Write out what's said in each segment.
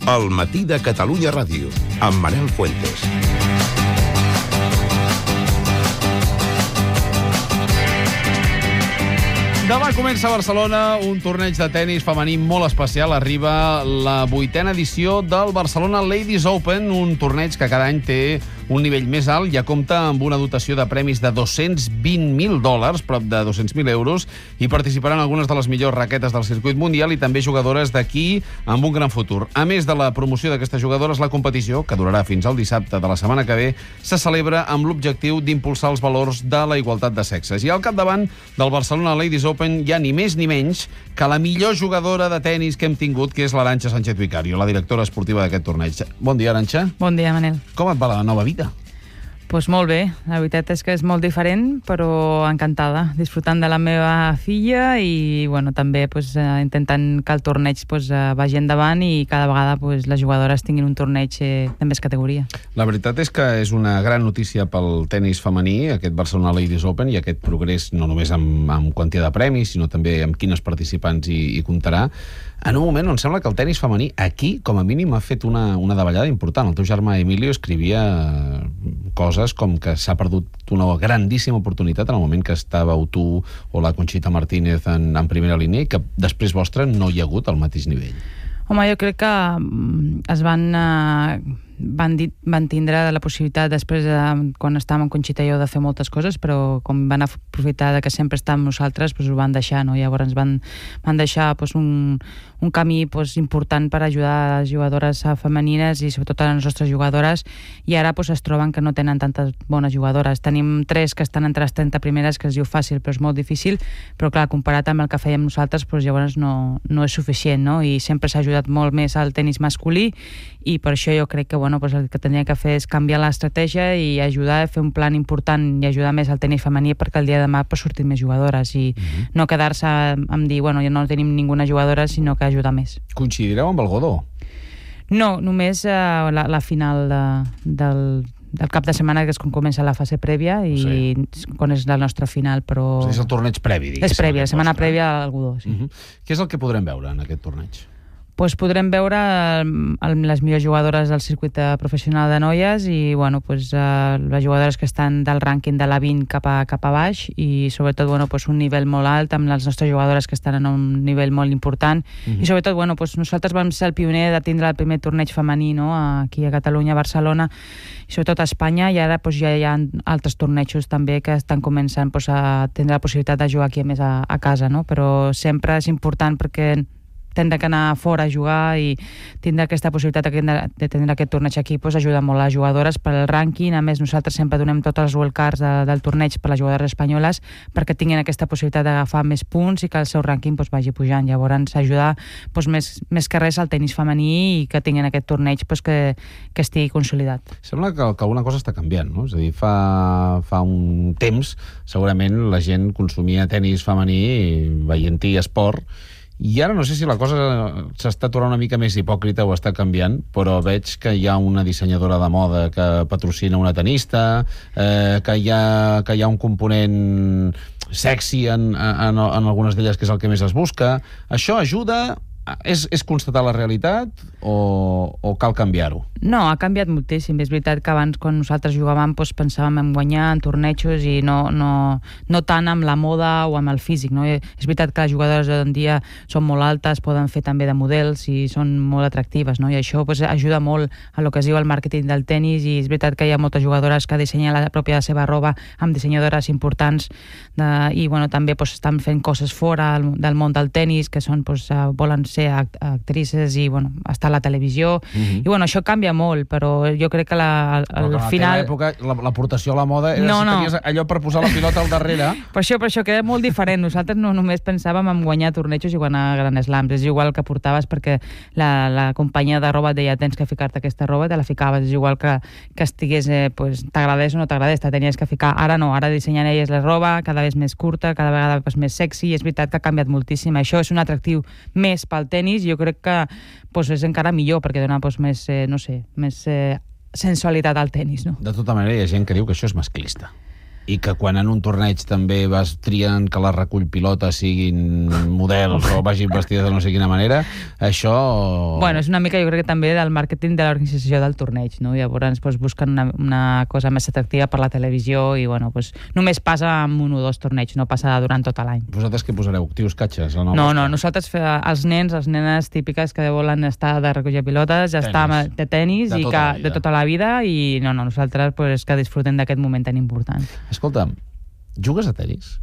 El matí de Catalunya Ràdio, amb Manel Fuentes. Demà comença a Barcelona un torneig de tennis femení molt especial. Arriba la 8a edició del Barcelona Ladies Open, un torneig que cada any té un nivell més alt. Ja compta amb una dotació de premis de $220.000, prop de 200.000 euros, i participaran algunes de les millors raquetes del circuit mundial i també jugadores d'aquí amb un gran futur. A més de la promoció d'aquestes jugadores, la competició, que durarà fins al dissabte de la setmana que ve, se celebra amb l'objectiu d'impulsar els valors de la igualtat de sexes. I al capdavant del Barcelona Ladies Open hi ha ni més ni menys que la millor jugadora de tennis que hem tingut, que és l'Arantxa Sánchez Vicario, la directora esportiva d'aquest torneig. Bon dia, Arantxa. Bon dia, Manel. Com et va la nova vida? Pues molt bé, la veritat és que és molt diferent, però encantada, disfrutant de la meva filla i bueno, també intentant que el torneig vagi endavant i cada vegada les jugadores tinguin un torneig de més categoria. La veritat és que és una gran notícia pel tennis femení, aquest Barcelona Ladies Open, i aquest progrés no només amb quantia de premis, sinó també amb quines participants hi comptarà, en un moment on sembla que el tennis femení aquí, com a mínim, ha fet una davallada important. El teu germà Emilio escrivia coses com que s'ha perdut una grandíssima oportunitat en el moment que estàveu tu o la Conxita Martínez en primera línia i que després vostre no hi ha hagut al mateix nivell. Home, jo crec que es van tindre la possibilitat després, quan estàvem amb Conxita i jo, de fer moltes coses, però com van aprofitar que sempre estàvem nosaltres, ho van deixar, no? Llavors van deixar un camí important per ajudar les jugadores femenines i sobretot a les nostres jugadores, i ara es troben que no tenen tantes bones jugadores. Tenim 3 que estan entre les 30 primeres, que es diu fàcil, però és molt difícil, però clar, comparat amb el que fèiem nosaltres, llavors no és suficient, no? I sempre s'ha ajudat molt més al tenis masculí, i per això jo crec que el que tenia que fer és canviar l'estratègia i ajudar a fer un plan important i ajudar més al tenis femení perquè el dia de demà surtin més jugadores i no quedar-se amb dir, ja no tenim ninguna jugadora, sinó que ajudar més. Coincidireu amb el Godó? No, només la final del cap de setmana, que és quan comença la fase prèvia i quan és la nostra final, però... És el torneig previ, diguéssim. És prèvia, la setmana prèvia al Godó, sí. Què és el que podrem veure en aquest torneig? Podrem veure les millors jugadores del circuit professional de noies i les jugadores que estan del rànquing de la 20 cap a baix i sobretot un nivell molt alt amb les nostres jugadores que estan en un nivell molt important i sobretot nosaltres vam ser el pioner de tindre el primer torneig femení, no? Aquí a Catalunya, a Barcelona i sobretot a Espanya, i ara ja hi ha altres tornejos també que estan començant a tindre la possibilitat de jugar aquí a més a casa, no? Però sempre és important perquè tindre que anar fora a jugar i tindre aquesta possibilitat de tenir aquest torneig aquí ajuda molt a les jugadores per al rànquing. A més, nosaltres sempre donem tots els wildcards del torneig per a les jugadores espanyoles perquè tinguin aquesta possibilitat d'agafar més punts i que el seu rànquing vagi pujant. Llavors, ajudar més que res al tenis femení i que tinguin aquest torneig que estigui consolidat. Sembla que alguna cosa està canviant, no? És a dir, fa un temps segurament la gent consumia tenis femení veient-hi esport, i ara no sé si la cosa s'està tornant una mica més hipòcrita o està canviant, però veig que hi ha una dissenyadora de moda que patrocina una tenista, que hi ha un component sexy en algunes d'elles, que és el que més es busca. Això ajuda? És constatar la realitat o cal canviar-ho? No, ha canviat moltíssim. És veritat que abans, quan nosaltres jugàvem, pensàvem en guanyar en tornejos i no tant amb la moda o amb el físic, no? És veritat que les jugadores d'avui en dia són molt altes, poden fer també de models i són molt atractives, no? I això ajuda molt a lo que es diu el màrqueting del tenis, i és veritat que hi ha moltes jugadores que dissenyen la pròpia seva roba amb dissenyadores importants i també estan fent coses fora del món del tenis, que són, volen ser actrices i estar a la televisió i això canvia molt, però jo crec que al final... En aquella època l'aportació a la moda era si tenies allò per posar la pilota al darrere. Per això queda molt diferent. Nosaltres no només pensàvem en guanyar tornejos i guanyar Grand Slams, és igual que portaves perquè la companyia de roba et deia tens que ficar-te aquesta roba, te la ficaves, és igual que estigués, t'agradés o no t'agradés, te tenies que ficar. Ara no, ara dissenyen elles la roba cada vegada més curta, cada vegada més sexy, i és veritat que ha canviat moltíssim. Això és un atractiu més pel tenis, jo crec que és encara millor perquè dona més sensualitat al tenis, no? De tota manera, hi ha gent que diu que això és masclista. I que quan en un torneig també vas triant que la recull pilota siguin models o vagin vestides de no sé quina manera, això... Bueno, és una mica, jo crec que també del màrqueting de l'organització del torneig, no? Llavors busquen una cosa més atractiva per la televisió i, bueno, només passa amb un o dos torneigs, no passa durant tot l'any. Vosaltres què posareu? Tios catxes? No, nosaltres els nens, les nenes típiques que volen estar de recollir pilotes, ja està de tenis i de tota la vida i nosaltres és que disfrutem d'aquest moment tan important. Escolta'm, jugues a tenis?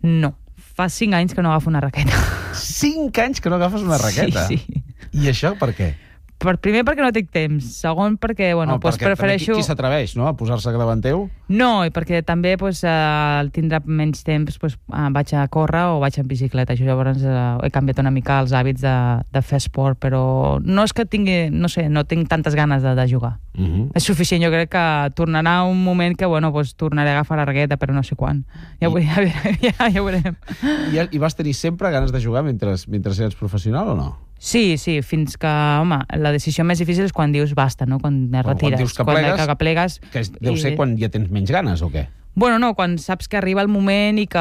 No, fa 5 anys que no agafo una raqueta. 5 anys que no agafes una raqueta? Sí. I això per què? Primer perquè no tinc temps, segon perquè, prefereixo... Qui s'atreveix, no?, a posar-se davant teu? No, i perquè també, al tindre menys temps, vaig a córrer o vaig en bicicleta. Això llavors he canviat una mica els hàbits de fer esport, però no és que tingui, no tinc tantes ganes de jugar. És suficient, jo crec que tornarà un moment que, tornaré a agafar la raqueta, però no sé quan. Ja ho veurem. I vas tenir sempre ganes de jugar mentre eres professional o no? Sí, fins que, home, la decisió més difícil és quan dius basta, no? Quan et retires. Quan dius que plegues, que deu ser quan ja tens menys ganes, o què? Bueno, no, quan saps que arriba el moment i que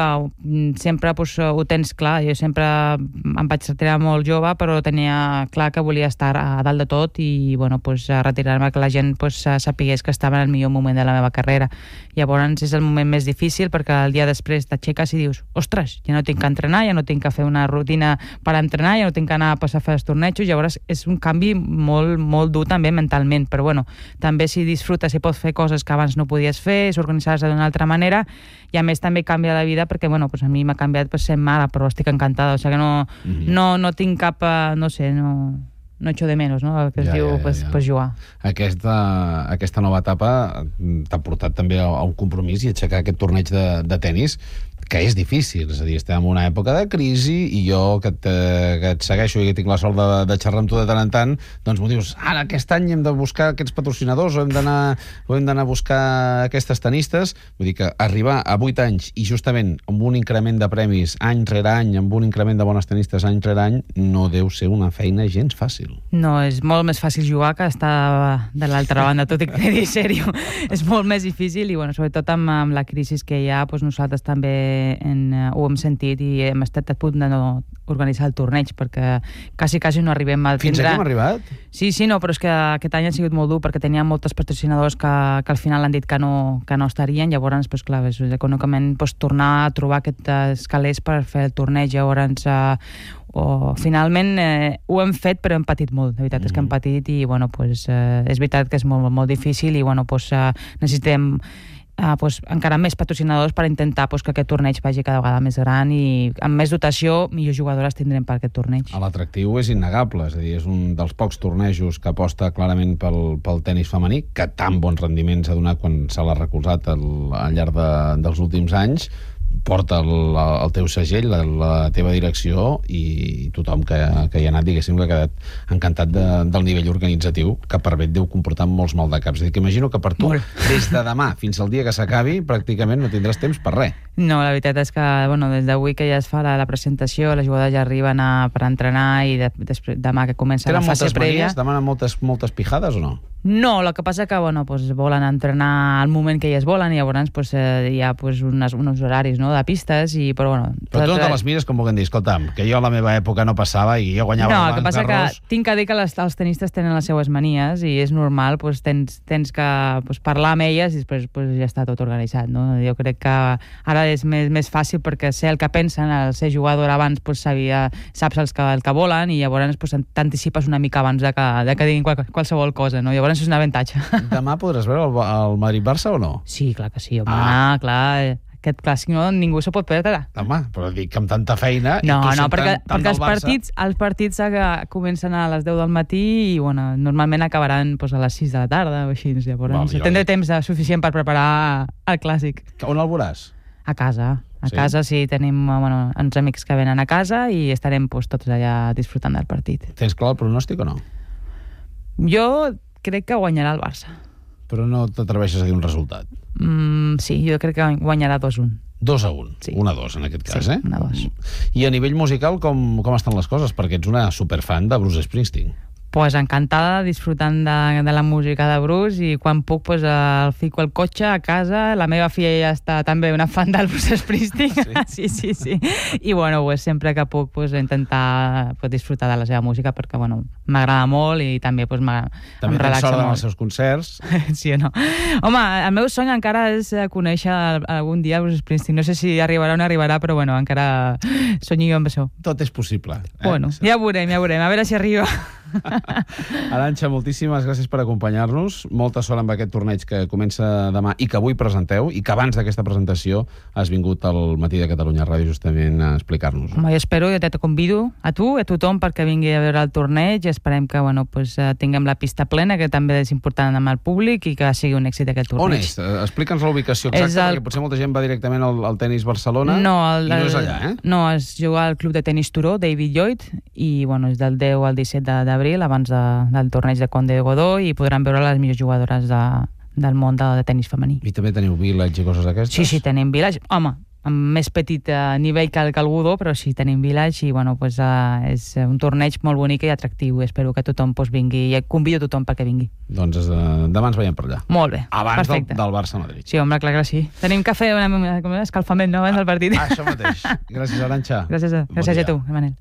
sempre ho tens clar. Jo sempre em vaig retirar molt jove, però tenia clar que volia estar a dalt de tot i, retirar-me, que la gent sapigués que estava en el millor moment de la meva carrera. Llavors és el moment més difícil perquè el dia després t'aixeques i dius, ostres, ja no tinc que entrenar, ja no tinc que fer una rutina per entrenar, ja no tinc que anar a fer els tornejos. Llavors és un canvi molt, molt dur també mentalment, però també si disfrutes i pots fer coses que abans no podies fer, s'organitzar-se d'una altra manera, i a més també canvia la vida perquè, a mi m'ha canviat sent mare, però estic encantada, o sigui que no tinc cap, no echo de menos, no? El que es diu jugar. Aquesta nova etapa t'ha portat també a un compromís i a aixecar aquest torneig de tenis, que és difícil, és a dir, estem en una època de crisi i jo que et segueixo i que tinc la sort de xerrar amb tu de tant en tant, doncs m'ho dius, ara aquest any hem de buscar aquests patrocinadors o hem d'anar a buscar aquestes tenistes. Vull dir que arribar a 8 anys i justament amb un increment de premis any rere any, amb un increment de bones tenistes any rere any, no deu ser una feina gens fàcil. No, és molt més fàcil jugar que estar de l'altra banda, tot i que dir sèrio. És molt més difícil i, sobretot amb la crisi que hi ha, nosaltres també ho hem sentit i hem estat a punt de no organitzar el torneig perquè quasi no arribem a tindre... Fins aquí hem arribat? Sí, no, però és que aquest any ha sigut molt dur perquè teníem molts patrocinadors que al final han dit que no estarien, llavors, clar, econòmicament tornar a trobar aquests calés per fer el torneig, llavors finalment ho hem fet però hem patit molt, de veritat és que hem patit i és veritat que és molt, molt difícil i necessitem encara més patrocinadors per intentar que aquest torneig vagi cada vegada més gran i amb més dotació, millors jugadores tindrem per aquest torneig. L'atractiu és innegable, és a dir, és un dels pocs tornejos que aposta clarament pel tenis femení, que tan bons rendiments ha donat quan se l'ha recolzat al llarg dels últims anys, porta el teu segell, la teva direcció i tothom que hi ha anat, diguéssim, que ha quedat encantat del nivell organitzatiu, que per bé et deu comportar molts maldecaps. És a dir, que imagino que per tu, des de demà fins al dia que s'acabi, pràcticament no tindràs temps per res. No, la veritat és que, des d'avui que ja es fa la presentació, les jugadores ja arriben per entrenar i demà que comença la fase prèvia... Demanen moltes pijades o no? No, el que passa que volen entrenar al moment que elles volen i llavors hi ha uns horaris de pistes però tu no te les mires com vulguem dir, escolta'm, que jo a la meva època no passava i jo guanyava el que passa que tinc que dir que els tenistes tenen les seues manies i és normal, tens que parlar amb elles i després ja està tot organitzat, no? Jo crec que ara és més fàcil perquè sé el que pensen, el ser jugador abans saps el que volen i llavors t'anticipes una mica abans de que diguin qualsevol cosa, no? Llavors és un avantatge. Demà podràs veure el Madrid-Barça o no? Sí, clar que sí, home, clar. Aquest clàssic ningú se pot perdre. Home, però dic que amb tanta feina... No, perquè els partits comencen a les 10 del matí i normalment acabaran a les 6 de la tarda o així. Llavors tindré temps suficient per preparar el clàssic. On el veuràs? A casa. A casa sí, tenim uns amics que venen a casa i estarem tots allà disfrutant del partit. Tens clar el pronòstic o no? Jo crec que guanyarà el Barça. Però no t'atreveixes a dir un resultat? Sí, jo crec que guanyarà 2-1. 2-1, sí. 1-2 en aquest cas, sí, 1-2. I a nivell musical com estan les coses? Perquè ets una superfan de Bruce Springsteen. Pues encantada, disfrutant de la música de Bruce, i quan puc pues, el fico al cotxe a casa. La meva filla ja està també una fan del Bruce Springsteen. Sí. I bueno, pues, sempre que puc pues, intentar pues, disfrutar de la seva música, perquè bueno, m'agrada molt i també pues, em relaxa molt. També tens sort dels seus concerts. Sí o no? Home, el meu sony encara és conèixer algun dia Bruce Springsteen. No sé si arribarà o no arribarà, però bueno, encara sonyo amb això. Tot és possible. Bueno, ja veurem. A veure si arriba. Arantxa, moltíssimes gràcies per acompanyar-nos. Molta sort amb aquest torneig que comença demà i que avui presenteu, i que abans d'aquesta presentació has vingut al Matí de Catalunya Ràdio justament a explicar-nos. Home, jo espero, te convido a tu i a tothom perquè vingui a veure el torneig. Esperem que bueno, pues, tinguem la pista plena, que també és important amb el públic, i que sigui un èxit aquest torneig. On és? Explica'ns la ubicació exacta, perquè potser molta gent va directament al Tenis Barcelona i no és allà, eh? No, es juga al Club de Tenis Turó, David Lloyd, i bueno, és del 10 al 17 d'abril, abans del torneig de Conde de Godó, i podran veure les millors jugadores del món de tenis femení. I també teniu Village i coses d'aquestes? Sí, tenim Village. Home, amb més petit nivell que el Godó, però sí, tenim Village, i bueno, pues, és un torneig molt bonic i atractiu. Espero que tothom pues, vingui, i convido tothom perquè vingui. Doncs demà ens veiem per allà. Molt bé, abans del Barça-Madrid. Sí, home, clar que sí. Tenim que fer un escalfament, no?, abans del partit. Això mateix. Gràcies, Arantxa. Gràcies a tu, Manel.